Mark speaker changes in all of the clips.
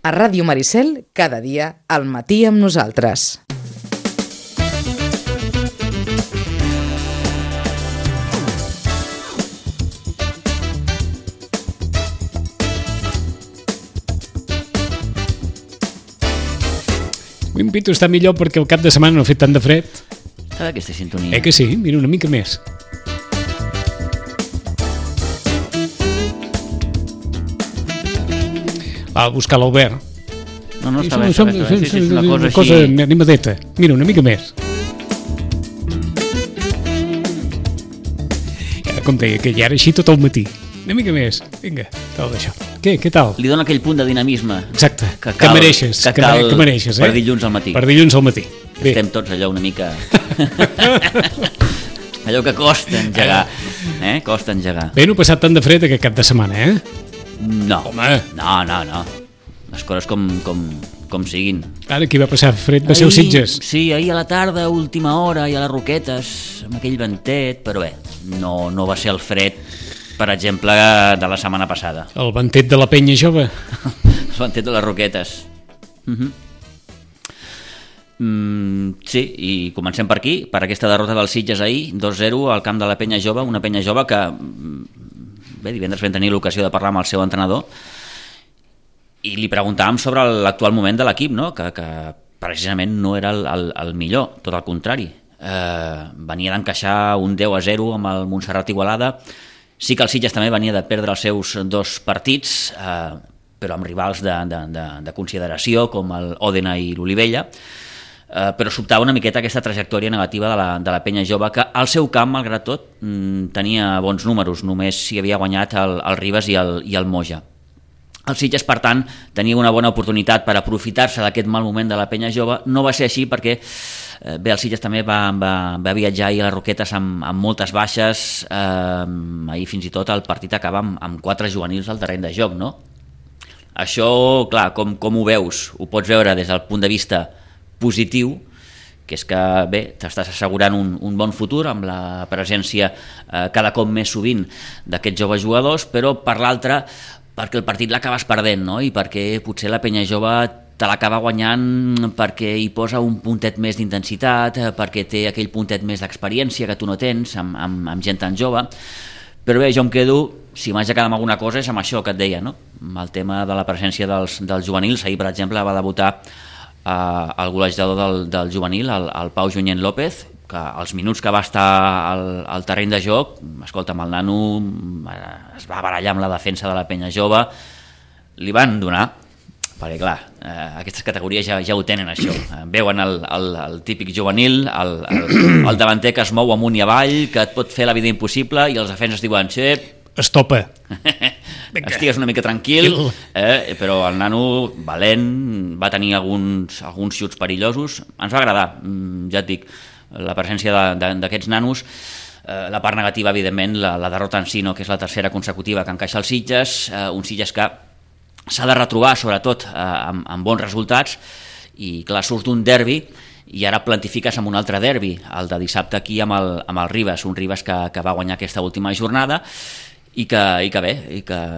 Speaker 1: A Ràdio Maricel, cada dia, al matí amb nosaltres.
Speaker 2: M'invito a estar millor perquè el cap de setmana no ha fet tant de fred.
Speaker 3: Estava aquesta sintonia.
Speaker 2: Que sí? Mira, una mica més. Va a buscar l'Albert.
Speaker 3: No, està bé. Sí, és una cosa així.
Speaker 2: Animadeta. Mira, una mica més. Com deia, que ja era així tot el matí. Una mica més. Vinga, tal d'això. Què tal?
Speaker 3: Li dona aquell punt de dinamisme.
Speaker 2: Exacte, que mereixes. Que mereixes,
Speaker 3: per dilluns al matí.
Speaker 2: Per dilluns al matí. Bé.
Speaker 3: Estem tots allò una mica... allò que costa engegar. Costa engegar.
Speaker 2: Bé, no ha passat tant de fred aquest cap de setmana,
Speaker 3: No.
Speaker 2: Home.
Speaker 3: No. Les coses com siguin.
Speaker 2: Ara qui va passar fred va ser els Sitges.
Speaker 3: Sí, ahir a la tarda, última hora, i a les Roquetes, amb aquell ventet, però bé, no va ser el fred, per exemple, de la setmana passada.
Speaker 2: El ventet de la penya jove.
Speaker 3: El ventet de les Roquetes. Sí, i comencem per aquí, per aquesta derrota dels Sitges ahir, 2-0 al camp de la penya jove, una penya jove que... Bé, divendres vam tenir l'ocasió de parlar amb el seu entrenador i li preguntàvem sobre l'actual moment de l'equip, no? que precisament no era el millor, tot el contrari. Venia d'encaixar un 10-0 amb el Montserrat Igualada. Sí que el Sitges també venia de perdre els seus 2 partits, però amb rivals de consideració com el Òdena i l'Olivella, però sobtava una miqueta aquesta trajectòria negativa de la penya jove, que al seu camp, malgrat tot, tenia bons números, només s'hi havia guanyat el Ribes i el Moja. El Sitges, per tant, tenia una bona oportunitat per aprofitar-se d'aquest mal moment de la penya jove. No va ser així perquè bé, el Sitges també va viatjar ahir a les Roquetes amb moltes baixes. Ahir fins i tot el partit acaba amb 4 juvenils al terreny de joc, no? Això, clar, com ho veus? Ho pots veure des del punt de vista positiu, que és que bé, t'estàs assegurant un bon futur amb la presència cada cop més sovint d'aquests joves jugadors, però per l'altre perquè el partit l'acabes perdent, no? I perquè potser la penya jove te l'acaba guanyant perquè hi posa un puntet més d'intensitat, perquè té aquell puntet més d'experiència que tu no tens amb gent tan jove. Però bé, jo em quedo, si m'haig de quedar amb alguna cosa, és amb això que et deia, no? Amb el tema de la presència dels juvenils. Ahir, per exemple, va debutar el golejador del juvenil, el Pau Junyent López, que els minuts que va estar al terreny de joc, escolta'm, el nano es va barallar amb la defensa de la penya jove, li van donar, perquè clar, aquestes categories ja ho tenen això, veuen el típic juvenil, el davanter que es mou amunt i avall, que et pot fer la vida impossible, i els defenses diuen,
Speaker 2: estopa,
Speaker 3: estigues una mica tranquil, però el nano valent, va tenir alguns xuts perillosos, ens va agradar, ja et dic, la presència d'aquests nanos. La part negativa, evidentment, la derrota en si, no? Que és la tercera consecutiva que encaixa els Sitges, un Sitges que s'ha de retrobar sobretot amb bons resultats, i clar, surts d'un derbi i ara plantifiques amb un altre derbi, el de dissabte aquí amb el Ribes, un Ribes que va guanyar aquesta última jornada i que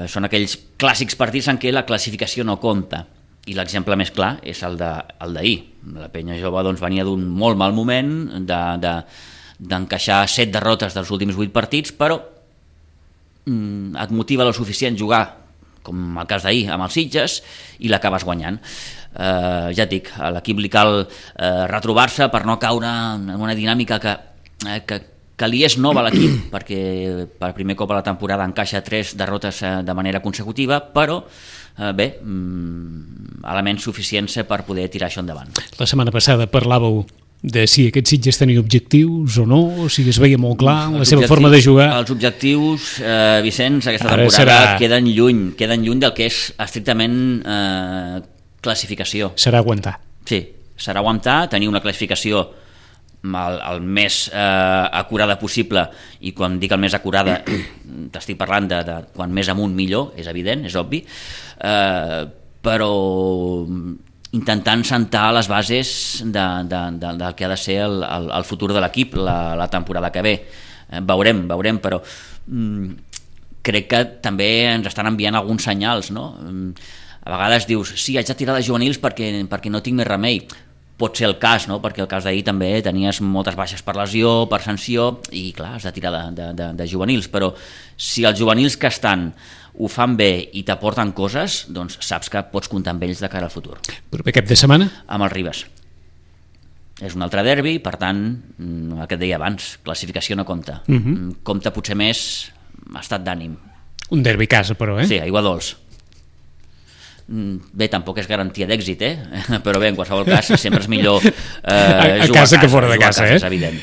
Speaker 3: són aquells clàssics partits en què la classificació no compta. I l'exemple més clar és el d'ahir. La penya jove doncs, venia d'un molt mal moment, d'encaixar 7 derrotes dels últims 8 partits, però et motiva lo suficient jugar, com el cas d'ahir, amb els Sitges, i l'acabes guanyant. Ja et dic, a l'equip li cal retrobar-se per no caure en una dinàmica que li és nova a l'equip, perquè per primer cop a la temporada encaixa 3 derrotes de manera consecutiva, però bé, elements suficients per poder tirar això endavant.
Speaker 2: La setmana passada parlàveu de si aquests Sitges tenien objectius o no, o si es veia molt clar la seva forma de jugar.
Speaker 3: Els objectius, Vicenç, aquesta temporada queden lluny del que és estrictament classificació.
Speaker 2: Serà aguantar.
Speaker 3: Sí, serà aguantar, tenir una classificació el més acurada possible, i quan dic el més acurada t'estic parlant de quan més amunt millor, és evident, és obvi, però intentant sentar les bases del que ha de ser el futur de l'equip la temporada que ve. Veurem, però crec que també ens estan enviant alguns senyals, no? a vegades dius, sí, haig de tirar de juvenils perquè no tinc més remei. Pot ser el cas, no? Perquè el cas d'ahir també tenies moltes baixes per lesió, per sanció, i clar, has de tirar de juvenils, però si els juvenils que estan ho fan bé i t'aporten coses, doncs saps que pots comptar amb ells de cara al futur.
Speaker 2: Proper cap de setmana?
Speaker 3: Amb el Ribes. És un altre derbi, per tant, el que et deia abans, classificació no compta. Compta potser més estat d'ànim.
Speaker 2: Un derbi a casa, però,
Speaker 3: Sí, aigua dolç. Bé, tampoc és garantia d'èxit, però bé, en qualsevol cas sempre és millor
Speaker 2: a casa que fora de casa,
Speaker 3: és evident.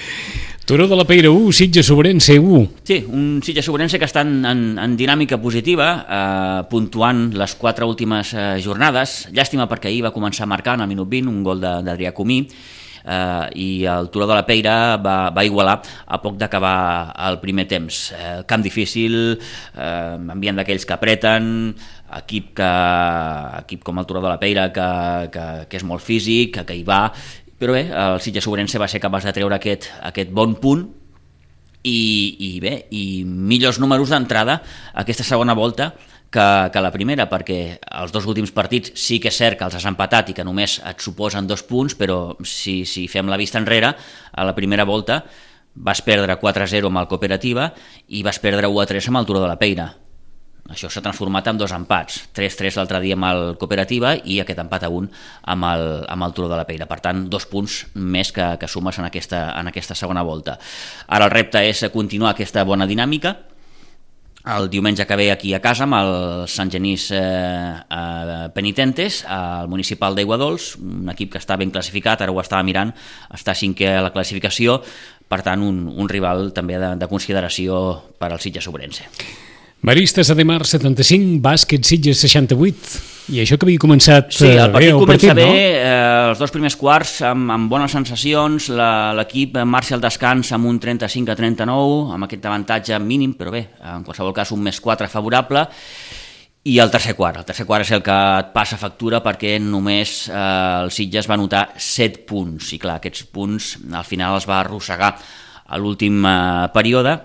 Speaker 2: Turó de la Peira 1, Sitges Sobrense 1.
Speaker 3: Sí, un Sitges Sobrense que està en dinàmica positiva, puntuant les 4 últimes jornades. Llàstima perquè ahir va començar marcant al minut 20 un gol d'Adrià Comí, i el Turó de la Peira va igualar a poc d'acabar el primer temps. Camp difícil, ambient d'aquells que apreten, equip com el Turó de la Peira que és molt físic, que hi va, però bé, el Sitges Sobrense va ser capaç de treure aquest bon punt i millors números d'entrada aquesta segona volta que la primera, perquè els 2 últims partits sí que és cert que els has empatat i que només et suposen 2 punts, però si fem la vista enrere, a la primera volta vas perdre 4-0 amb el Cooperativa i vas perdre 1-3 amb el Turó de la Peira. Això s'ha transformat en 2 empats, 3-3 l'altre dia amb el Cooperativa i aquest empat a 1 amb el Turó de la Peira. Per tant, 2 punts més que sumes en aquesta segona volta. Ara el repte és continuar aquesta bona dinàmica. El diumenge que ve aquí a casa amb el Sant Genís Penitentes, al municipal d'Aiguadols, un equip que està ben classificat, ara ho estava mirant, està 5è a la classificació, per tant un rival també de consideració per al Sitges Sobrense.
Speaker 2: Maristes Ademar 75, Bàsquet Sitges 68, i això que havia començat
Speaker 3: sí, el
Speaker 2: bé,
Speaker 3: comença bé,
Speaker 2: no?
Speaker 3: Els 2 primers quarts amb bones sensacions, l'equip marxa al descans amb un 35-39, amb aquest avantatge mínim, però bé, en qualsevol cas un +4 favorable, i el tercer quart és el que et passa factura perquè només el Sitges va anotar 7 punts, i clar, aquests punts al final els va arrossegar a l'últim període,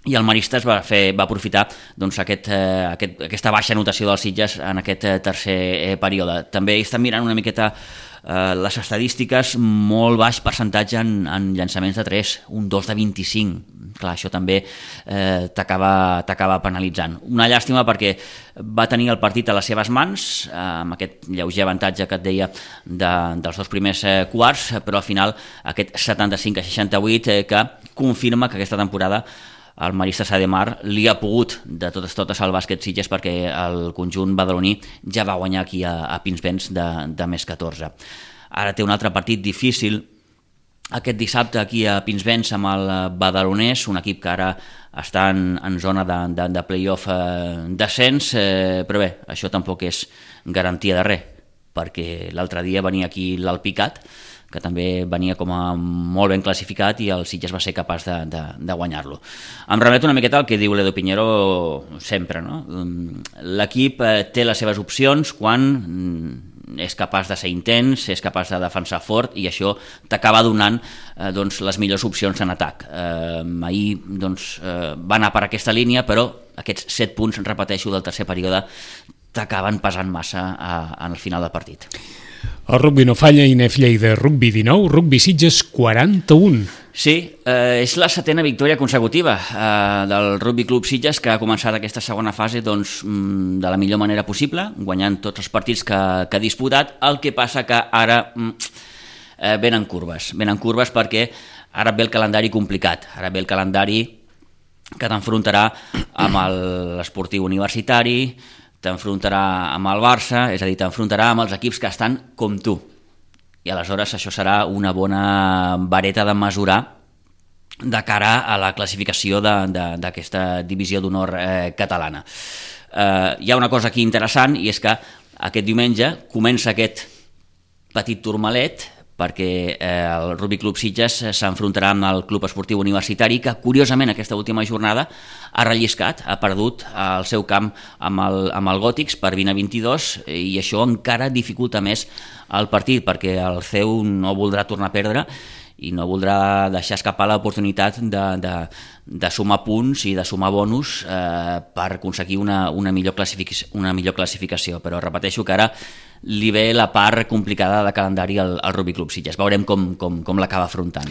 Speaker 3: i el Maristes va aprofitar doncs, aquesta baixa anotació dels Sitges en aquest tercer període. També estan mirant una miqueta les estadístiques, molt baix percentatge en llançaments de 3, un 2 de 25. Clar, això també t'acaba penalitzant. Una llàstima perquè va tenir el partit a les seves mans, amb aquest lleuger avantatge que et deia dels 2 primers quarts, però al final aquest 75-68 que confirma que aquesta temporada el Maristes Ademar li ha pogut de totes al bàsquet Sitges perquè el conjunt badaloní ja va guanyar aquí a Pinsbens de +14. Ara té un altre partit difícil aquest dissabte aquí a Pinsbens amb el badalonès, un equip que ara està en zona de play-off descens, però bé, això tampoc és garantia de res, perquè l'altre dia venia aquí l'Alpicat, que també venia com a molt ben classificat i el Sitges va ser capaç de guanyar-lo. Em remeto una miqueta al que diu l'Edo Piñero sempre, no? L'equip té les seves opcions quan és capaç de ser intens, és capaç de defensar fort i això t'acaba donant doncs, les millors opcions en atac. Ahir doncs, va anar per aquesta línia, però aquests 7 punts, repeteixo, del tercer període t'acaben pesant massa al final del partit.
Speaker 2: El rugbi no falla, INEF Lleida, rugbi 19, rugbi Sitges 41.
Speaker 3: Sí, és la 7ª victòria consecutiva del Rugby Club Sitges, que ha començat aquesta segona fase doncs, de la millor manera possible, guanyant tots els partits que ha disputat. El que passa que ara venen curves perquè ara ve el calendari complicat, ara ve el calendari que t'enfrontarà amb l'Esportiu Universitari, t'enfrontarà amb el Barça, és a dir, t'enfrontarà amb els equips que estan com tu. I aleshores això serà una bona vareta de mesurar de cara a la classificació d'aquesta divisió d'honor catalana. Hi ha una cosa aquí interessant i és que aquest diumenge comença aquest petit turmalet perquè el Rugby Club Sitges s'enfrontarà amb el Club Esportiu Universitari, que curiosament aquesta última jornada ha relliscat, ha perdut el seu camp amb el Gòtics per 20-22 i això encara dificulta més el partit perquè el CEU no voldrà tornar a perdre i no voldrà deixar escapar l'oportunitat de sumar punts i de sumar bonus per aconseguir una millor classificació, però repeteixo que ara li ve la part complicada de calendari al Rugby Club Sitges. Veurem com l'acaba afrontant.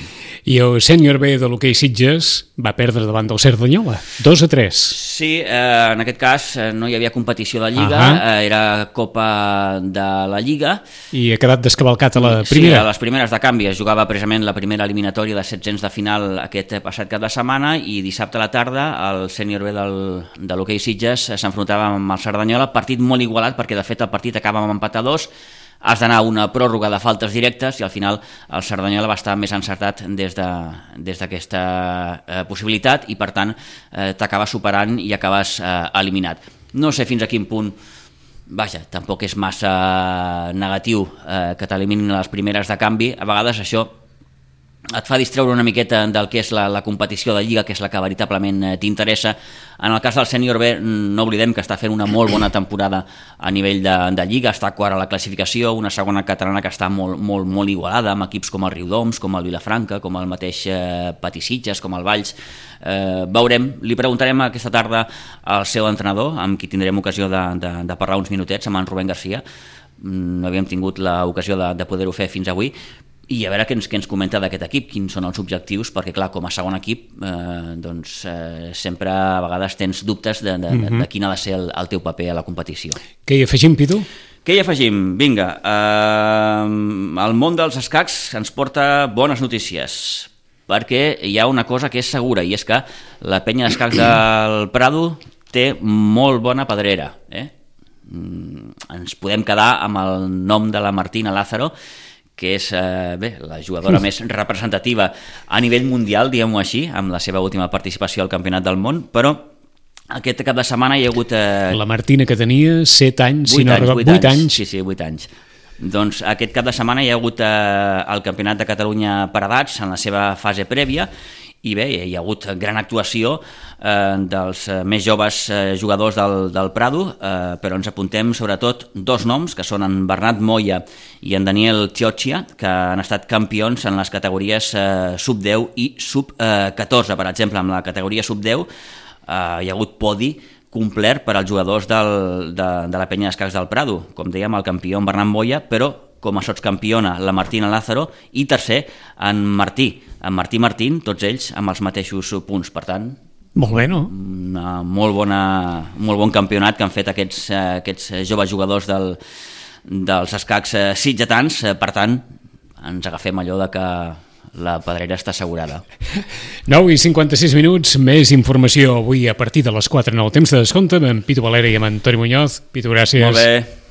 Speaker 2: I el sènior B de l'hoquei Sitges va perdre davant del Cerdanyola, 2-3.
Speaker 3: Sí, en aquest cas no hi havia competició de Lliga, era Copa de la Lliga.
Speaker 2: I ha quedat descavalcat a la primera.
Speaker 3: Sí, a les primeres de canvi. Es jugava precisament la primera eliminatòria de 700 de final aquest passat cap de setmana i dissabte a la tarda el sènior B de l'hoquei Sitges s'enfrontava amb el Cerdanyola, partit molt igualat perquè de fet el partit acaba amb empat a 2, has d'anar a una pròrroga de faltes directes i al final el Cerdanyola va estar més encertat des d'aquesta possibilitat i per tant t'acabes superant i acabes eliminat. No sé fins a quin punt, vaja, tampoc és massa negatiu que t'eliminin les primeres de canvi, a vegades això et fa distreure una miqueta del que és la competició de Lliga, que és la que veritablement t'interessa. En el cas del sènior B no oblidem que està fent una molt bona temporada a nivell de Lliga, està quart a la classificació, una segona catalana que està molt igualada, amb equips com el Riudoms, com el Vilafranca, com el mateix Patí Sitges, com el Valls. Veurem, li preguntarem aquesta tarda al seu entrenador, amb qui tindrem ocasió de parlar uns minutets, amb en Rubén Garcia. No havíem tingut l'ocasió de poder-ho fer fins avui, i a veure què ens comenta d'aquest equip, quins són els objectius, perquè clar, com a segon equip sempre a vegades tens dubtes de quin ha de ser el teu paper a la competició.
Speaker 2: Què hi afegim, Pitu?
Speaker 3: Què hi afegim? Vinga, el món dels escacs ens porta bones notícies, perquè hi ha una cosa que és segura, i és que la penya d'escacs del Prado té molt bona pedrera. Ens podem quedar amb el nom de la Martina Lázaro, que és la jugadora més representativa a nivell mundial, diguem-ho així, amb la seva última participació al Campionat del Món, però aquest cap de setmana hi ha hagut...
Speaker 2: La Martina, que tenia 7 anys, 8 anys.
Speaker 3: Sí, 8 anys. Doncs aquest cap de setmana hi ha hagut el Campionat de Catalunya per edats en la seva fase prèvia, i bé, hi ha hagut gran actuació dels més joves jugadors del Prado, però ens apuntem sobretot dos noms, que són en Bernat Moya i en Daniel Chioccia, que han estat campions en les categories sub-10 i sub-14. Per exemple, en la categoria sub-10 hi ha hagut podi complet per als jugadors de la penya d'escacs del Prado, com dèiem, el campió en Bernat Moya, però com a sotscampiona la Martina Lázaro, i tercer en Martí Martín, tots ells amb els mateixos punts. Per tant,
Speaker 2: molt bé, no?
Speaker 3: Molt bon campionat que han fet aquests joves jugadors dels escacs sitgetans. Per tant, ens agafem allò de que la pedrera està assegurada.
Speaker 2: 9:56, més informació avui a partir de les 4 en el temps de descompte amb en Pitu Valera i amb en Toni Muñoz. Pitu, gràcies.
Speaker 3: Molt bé.